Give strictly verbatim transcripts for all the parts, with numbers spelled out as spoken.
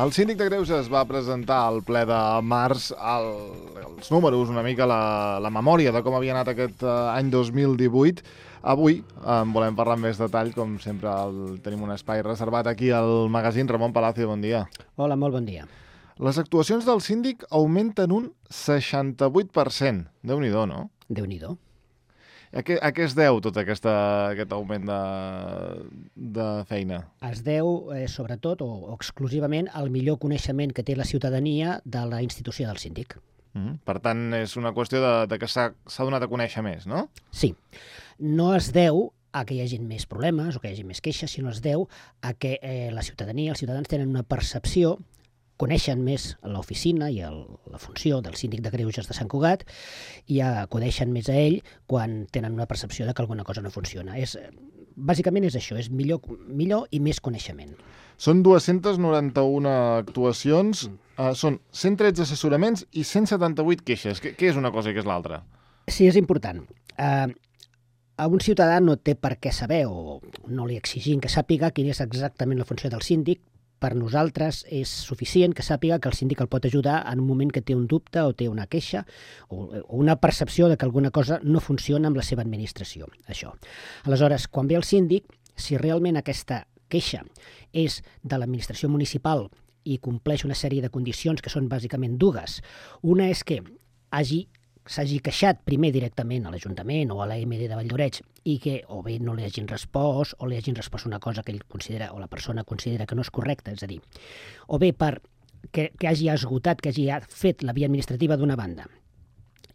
El síndic de Greuges va presentar al ple de març el, els números, una mica la, la memòria de com havia anat aquest uh, any dos mil divuit. Avui en volem parlar amb més detall, com sempre el, tenim un espai reservat aquí al magazín. Ramon Palacio, bon dia. Hola, molt bon dia. Les actuacions del síndic augmenten un seixanta-vuit per cent. Déu-n'hi-do, no? Déu-n'hi-do. A què, a què es deu tot aquesta, aquest augment de, de feina? Es deu, eh, sobretot, o, o exclusivament, al millor coneixement que té la ciutadania de la institució del síndic. Mm, per tant, és una qüestió de, de que s'ha donat a conèixer més, no? Sí. No es deu a que hi hagi més problemes o que hi hagi més queixes, sinó es deu a que eh, la ciutadania, els ciutadans tenen una percepció, coneixen més l'oficina i el, la funció del síndic de Greuges de Sant Cugat i acudeixen més a ell quan tenen una percepció de que alguna cosa no funciona. És, bàsicament és això, és millor, millor i més coneixement. Són dues-centes noranta-una actuacions, mm. uh, són cent tretze assessoraments i cent setanta-vuit queixes. Què, què és una cosa i què és l'altra? Sí, és important. Uh, a un ciutadà no té per què saber, o no li exigim que sàpiga quina és exactament la funció del síndic. Per nosaltres és suficient que sàpiga que el síndic el pot ajudar en un moment que té un dubte o té una queixa o una percepció de que alguna cosa no funciona amb la seva administració. Això. Aleshores, quan ve el síndic, si realment aquesta queixa és de l'administració municipal i compleix una sèrie de condicions que són bàsicament dues, una és que hagi s'hagi queixat primer directament a l'Ajuntament o a l'A M D de Valldoreix i que o bé no li hagin respost o li hagin respost una cosa que ell considera o la persona considera que no és correcta, és a dir, o bé per que, que hagi esgotat, que hagi fet la via administrativa d'una banda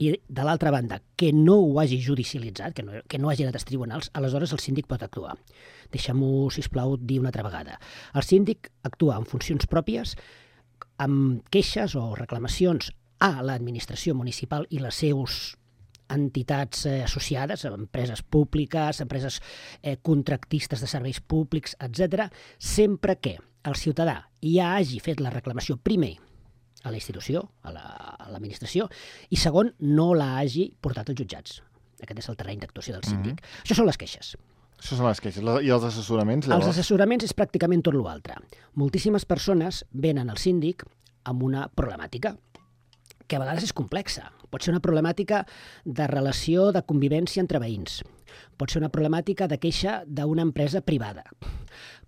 i de l'altra banda que no ho hagi judicialitzat, que no, que no hagi anat als tribunals, aleshores el síndic pot actuar. Deixem-ho, sisplau, dir una altra vegada. El síndic actua en funcions pròpies, amb queixes o reclamacions a l'administració municipal i les seus entitats eh, associades, empreses públiques, empreses eh, contractistes de serveis públics, etcètera, sempre que el ciutadà ja hagi fet la reclamació primer a la institució, a l'administració, la, i segon, no la hagi portat als jutjats. Aquest és el terreny d'actuació del síndic. Mm-hmm. Això són les queixes. Això són les queixes. I els assessoraments, llavors? Els assessoraments és pràcticament tot l'altre. Moltíssimes persones venen al síndic amb una problemàtica que a vegades és complexa. Pot ser una problemàtica de relació de convivència entre veïns. Pot ser una problemàtica de queixa d'una empresa privada.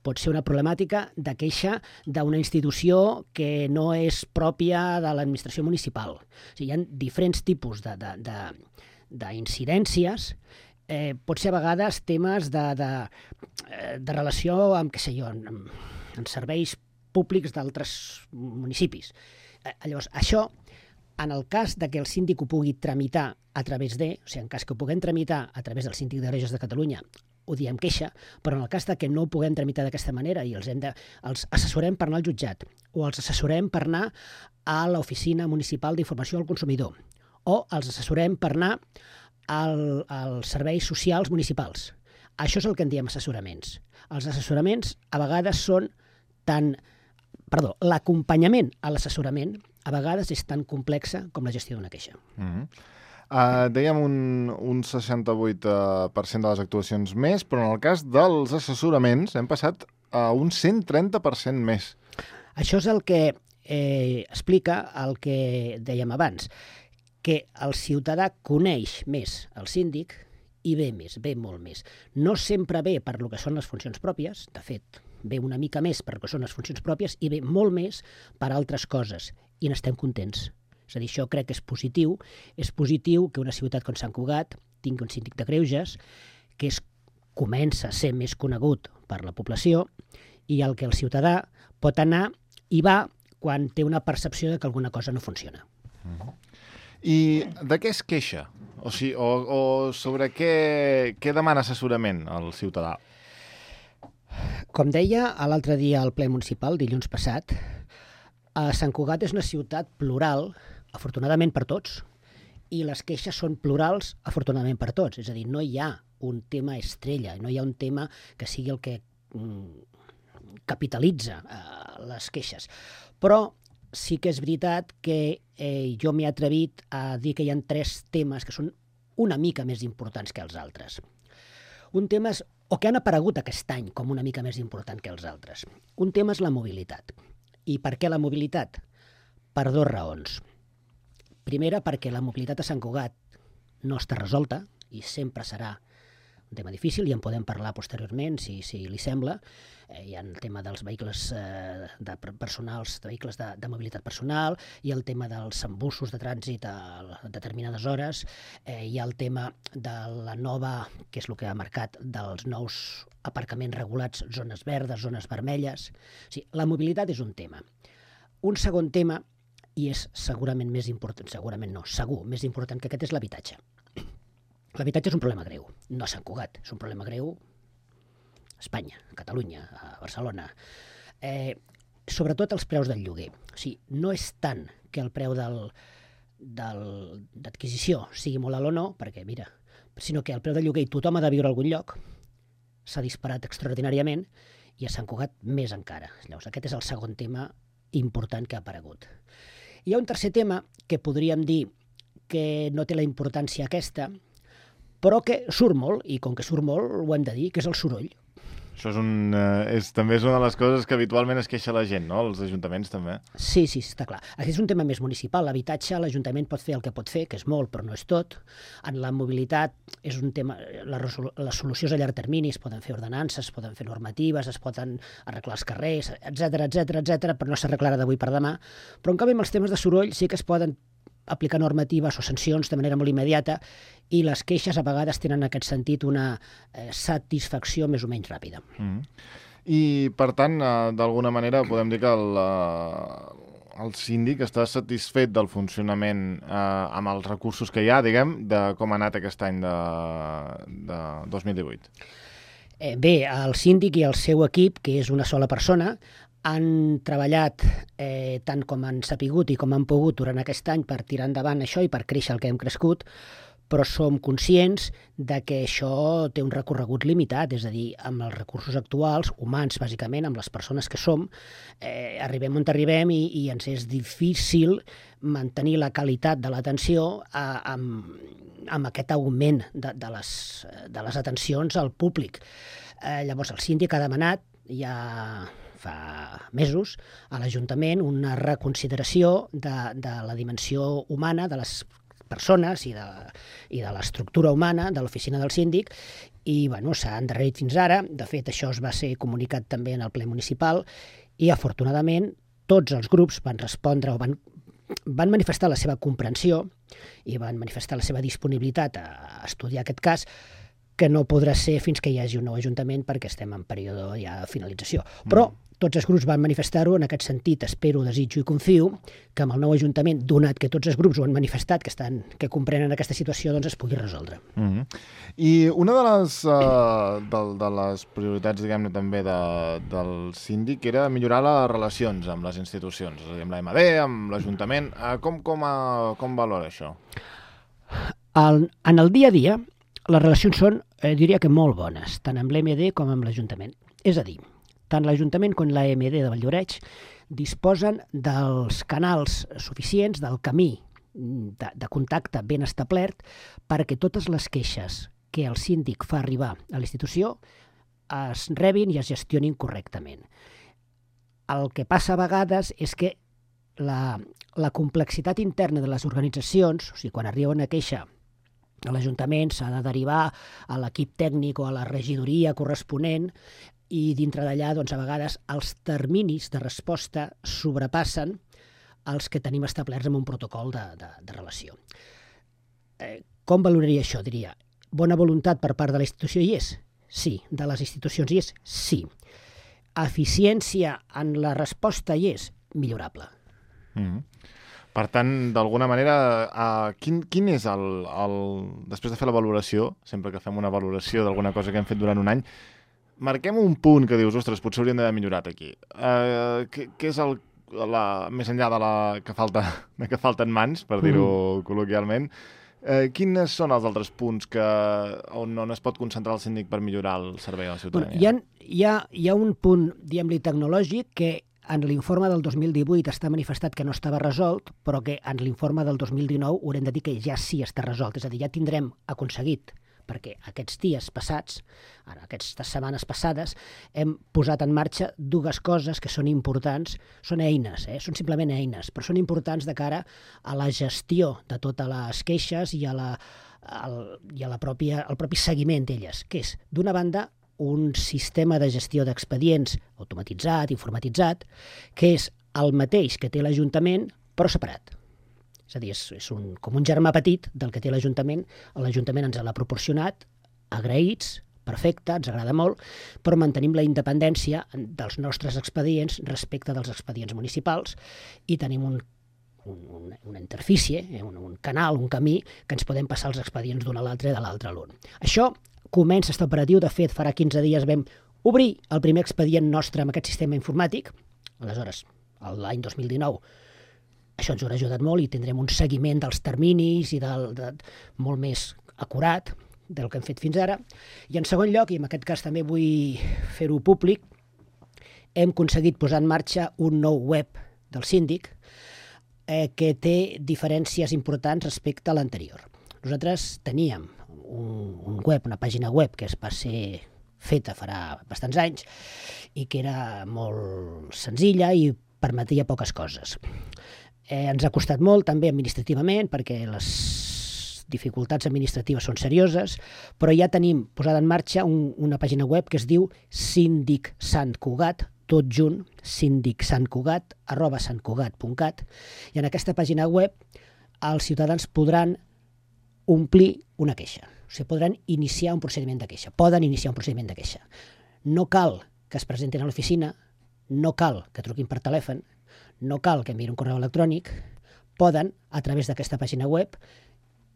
Pot ser una problemàtica de queixa d'una institució que no és pròpia de l'administració municipal. O sigui, hi ha diferents tipus de, de, de, d'incidències. Eh, pot ser a vegades temes de, de, de relació amb, què sé jo, amb, amb serveis públics d'altres municipis. Eh, llavors, això, en el cas de que el síndic ho pugui tramitar a través de, o sigui, en cas que ho puguem tramitar a través del síndic de Greuges de Catalunya, ho diem queixa, però en el cas de que no ho puguem tramitar d'aquesta manera i els, hem de, els assessorem per anar al jutjat o els assessorem per anar a l'Oficina Municipal d'Informació al Consumidor o els assessorem per anar al, als serveis socials municipals. Això és el que en diem assessoraments. Els assessoraments a vegades són tan... Perdó, l'acompanyament a l'assessorament a vegades és tan complexa com la gestió d'una queixa. Mm-hmm. uh, dèiem un, un seixanta-vuit per cent de les actuacions més, però en el cas dels assessoraments hem passat a un cent trenta per cent més. Això és el que eh, explica el que dèiem abans, que el ciutadà coneix més el síndic i ve més, ve molt més. No sempre ve per lo que són les funcions pròpies, de fet, ve una mica més per lo que són les funcions pròpies i ve molt més per altres coses. I n'estem contents. És a dir, això crec que és positiu. És positiu que una ciutat com Sant Cugat tingui un síndic de Greuges que es, comença a ser més conegut per la població i el que el ciutadà pot anar i va quan té una percepció de que alguna cosa no funciona. Mm-hmm. I de què es queixa? O, sigui, o, o sobre què, què demana assessorament el ciutadà? Com deia l'altre dia al ple municipal, dilluns passat, a Sant Cugat és una ciutat plural, afortunadament per tots, i les queixes són plurals, afortunadament per tots. És a dir, no hi ha un tema estrella, no hi ha un tema que sigui el que mm, capitalitza eh, les queixes. Però sí que és veritat que eh, jo m'he atrevit a dir que hi ha tres temes que són una mica més importants que els altres. Un tema és, o que han aparegut aquest any com una mica més important que els altres. Un tema és la mobilitat. I per què la mobilitat? Per dues raons. Primera, perquè la mobilitat a Sant Cugat no està resolta i sempre serà un tema difícil i en podem parlar posteriorment, si, si li sembla. Eh, hi ha el tema dels vehicles eh, de personals, de vehicles de, de mobilitat personal, hi ha el tema dels embussos de trànsit a determinades hores, eh, hi ha el tema de la nova, que és el que ha marcat, dels nous aparcaments regulats, zones verdes, zones vermelles. O sigui, la mobilitat és un tema. Un segon tema, i és segurament més important, segurament no, segur, més important que aquest, és l'habitatge. L'habitatge és un problema greu, no a Sant Cugat, és un problema greu a Espanya, a Catalunya, a Barcelona. Eh, sobretot els preus del lloguer. O sigui, no és tant que el preu del, del, d'adquisició sigui molt alt o no, perquè, mira, sinó que el preu del lloguer, i tothom ha de viure a algun lloc, s'ha disparat extraordinàriament, i a Sant Cugat més encara. Llavors, aquest és el segon tema important que ha aparegut. Hi ha un tercer tema que podríem dir que no té la importància aquesta, però que surt molt, i com que surt molt ho hem de dir, que és el soroll. Això és un, eh, és, també és una de les coses que habitualment es queixa la gent, no? Els ajuntaments també. Sí, sí, està clar. Aquest és un tema més municipal. L'habitatge, l'Ajuntament pot fer el que pot fer, que és molt, però no és tot. En la mobilitat és un tema... La, la solució és a llarg termini, es poden fer ordenances, es poden fer normatives, es poden arreglar els carrers, etcètera, etcètera, etcètera, però no s'arreglarà d'avui per demà. Però en canvi amb els temes de soroll sí que es poden aplicar normatives o sancions de manera molt immediata, i les queixes a vegades tenen en aquest sentit una eh, satisfacció més o menys ràpida. Mm. I, per tant, eh, d'alguna manera podem dir que el, eh, el síndic està satisfet del funcionament eh, amb els recursos que hi ha, diguem, de com ha anat aquest any de, de dos mil divuit. Eh, bé, el síndic i el seu equip, que és una sola persona, han treballat eh, tant com han sapigut i com han pogut durant aquest any per tirar endavant això i per créixer el que hem crescut, però som conscients de que això té un recorregut limitat, és a dir, amb els recursos actuals, humans bàsicament, amb les persones que som, eh, arribem on arribem i, i ens és difícil mantenir la qualitat de l'atenció eh, amb, amb aquest augment de, de, les, de les atencions al públic. Eh, llavors el síndic ha demanat, ja fa mesos, a l'Ajuntament una reconsideració de, de la dimensió humana de les persones i de, i de l'estructura humana de l'oficina del síndic, i bueno, s'ha endarrerit fins ara. De fet, això es va ser comunicat també en el ple municipal i, afortunadament, tots els grups van respondre o van, van manifestar la seva comprensió i van manifestar la seva disponibilitat a estudiar aquest cas, que no podrà ser fins que hi hagi un nou ajuntament perquè estem en període ja de finalització. Però tots els grups van manifestar-ho, en aquest sentit espero, desitjo i confio que amb el nou ajuntament, donat que tots els grups ho han manifestat, que estan que comprenen aquesta situació, doncs es pugui resoldre. Mm-hmm. I una de les, uh, de, de les prioritats, diguem-ne, també de, del síndic era millorar les relacions amb les institucions, és a dir, amb l'A M D, amb l'Ajuntament. Uh, com, com, uh, com valora això? El, en el dia a dia, les relacions són, eh, diria que molt bones, tant amb l'A M D com amb l'Ajuntament. És a dir, tant l'Ajuntament com l'A M D de Valldoreix disposen dels canals suficients, del camí de, de contacte ben establert, perquè totes les queixes que el síndic fa arribar a la institució es rebin i es gestionin correctament. El que passa a vegades és que la, la complexitat interna de les organitzacions, o sigui, quan arriba una queixa a l'Ajuntament s'ha de derivar a l'equip tècnic o a la regidoria corresponent, i dintre d'allà, doncs, a vegades els terminis de resposta sobrepassen els que tenim establerts en un protocol de, de, de relació. Eh, com valoraria això? Diria, bona voluntat per part de la institució hi és? Sí. De les institucions hi és? Sí. Eficiència en la resposta hi és? Millorable. Mm-hmm. Per tant, d'alguna manera, uh, quin, quin és el, el... Després de fer la valoració, sempre que fem una valoració d'alguna cosa que hem fet durant un any, marquem un punt que dius, ostres, potser hauríem d'haver millorat aquí. Uh, què, què és el, la, més enllà de la que falta, de que falten mans, per dir-ho mm. col·loquialment, uh, quins són els altres punts que, on, on es pot concentrar el síndic per millorar el servei a la ciutadania? Bueno, hi, ha, hi, ha, hi ha un punt, diguem-li, tecnològic que en l'informe del dos mil divuit està manifestat que no estava resolt, però que en l'informe del dos mil dinou haurem de dir que ja sí està resolt. És a dir, ja tindrem aconseguit perquè aquests dies passats, ara, aquestes setmanes passades, hem posat en marxa dues coses que són importants, són eines, eh? Són simplement eines, però són importants de cara a la gestió de totes les queixes i a la, al, i a la pròpia, al propi seguiment d'elles, que és, d'una banda, un sistema de gestió d'expedients automatitzat, informatitzat, que és el mateix que té l'Ajuntament, però separat. És a dir, és, és un, com un germà petit del que té l'Ajuntament. L'Ajuntament ens l'ha proporcionat, agraïts, perfecte, ens agrada molt, però mantenim la independència dels nostres expedients respecte dels expedients municipals i tenim un, un, una interfície, un, un canal, un camí, que ens podem passar els expedients d'un a l'altre i de l'altre a l'un. Això comença a estar operatiu. De fet, farà quinze dies vam obrir el primer expedient nostre amb aquest sistema informàtic. Aleshores, l'any dos mil dinou, això ens haurà ajudat molt i tindrem un seguiment dels terminis i del, de, molt més acurat del que hem fet fins ara. I en segon lloc, i en aquest cas també vull fer-ho públic, hem aconseguit posar en marxa un nou web del síndic eh, que té diferències importants respecte a l'anterior. Nosaltres teníem un, un web, una pàgina web que es va ser feta farà bastants anys i que era molt senzilla i permetia poques coses. Eh, ens ha costat molt també administrativament perquè les dificultats administratives són serioses, però ja tenim posada en marxa un, una pàgina web que es diu Síndic Sant Cugat, tot junt, síndicsantcugat arroba santcugat punt cat, i en aquesta pàgina web els ciutadans podran omplir una queixa. O sigui, podran iniciar un procediment de queixa. Poden iniciar un procediment de queixa. No cal que es presentin a l'oficina, no cal que truquin per telèfon, no cal que enviïn un correu electrònic, poden, a través d'aquesta pàgina web,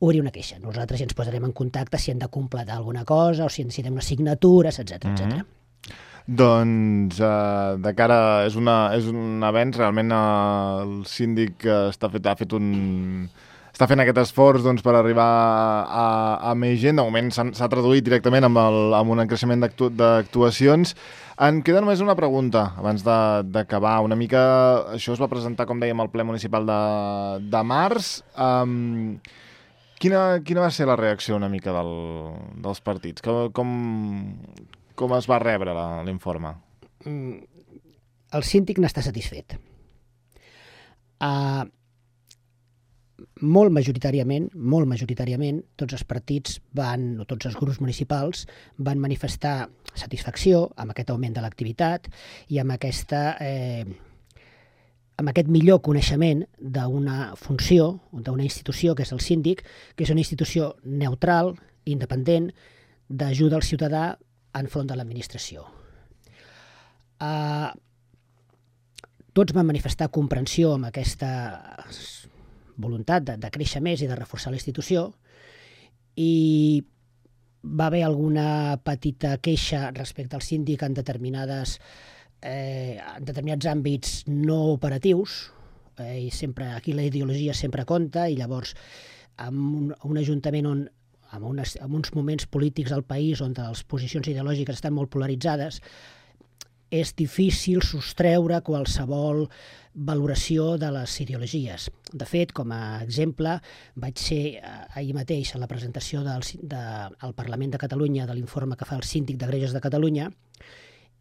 obrir una queixa. Nosaltres ja ens posarem en contacte si hem de completar alguna cosa o si necessitem unes signatures, etcètera, etcètera. Mm-hmm. Doncs, eh, de cara, és, una, és un avenç, realment eh, el síndic està fet, ha fet un... està fent aquest esforç doncs, per arribar a, a més gent. De moment s'ha traduït directament amb, el, amb un creixement d'actuacions. En queda només una pregunta, abans d'acabar. Una mica, això es va presentar, com dèiem, al ple municipal de, de març. Um, quina, quina va ser la reacció una mica del, dels partits? Com, com, com es va rebre l'informe? Mm, el síndic n'està satisfet. Uh, molt majoritàriament, molt majoritàriament, tots els partits van, o tots els grups municipals van manifestar satisfacció amb aquest augment de l'activitat i amb aquesta eh, amb aquest millor coneixement d'una funció, d'una institució que és el síndic, que és una institució neutral, independent, d'ajuda al ciutadà enfront de l'administració. Uh, tots van manifestar comprensió amb aquesta voluntat de, de créixer més i de reforçar la institució, i va haver alguna petita queixa respecte al síndic en determinades eh, en determinats àmbits no operatius, eh, i sempre aquí la ideologia sempre compta, i llavors en un, un ajuntament on en, unes, en uns moments polítics al país on les posicions ideològiques estan molt polaritzades, és difícil sostreure qualsevol valoració de les ideologies. De fet, com a exemple, vaig ser ahir mateix a la presentació del, de, al Parlament de Catalunya de l'informe que fa el Síndic de Greuges de Catalunya,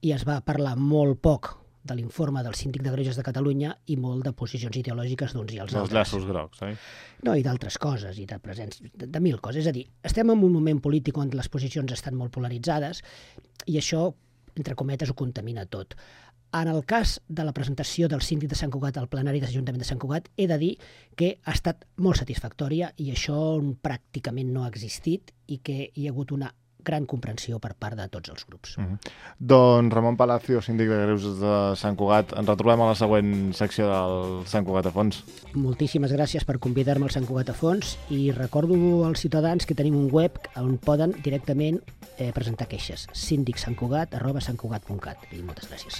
i es va parlar molt poc de l'informe del Síndic de Greuges de Catalunya i molt de posicions ideològiques d'uns i els altres. Els llaços grocs, eh? No, i d'altres coses, i de presents, de, de mil coses. És a dir, estem en un moment polític on les posicions estan molt polaritzades i això, entre cometes, ho contamina tot. En el cas de la presentació del síndic de Sant Cugat al plenari de l'Ajuntament de Sant Cugat, he de dir que ha estat molt satisfactòria i això pràcticament no ha existit i que hi ha hagut una gran comprensió per part de tots els grups. Mm-hmm. Doncs Ramon Palacio, síndic de Greuges de Sant Cugat, ens retrobem a la següent secció del Sant Cugat a fons. Moltíssimes gràcies per convidar-me al Sant Cugat a fons i recordo als ciutadans que tenim un web on poden directament eh, presentar queixes, síndicsantcugat arroba santcugat punt cat. I moltes gràcies.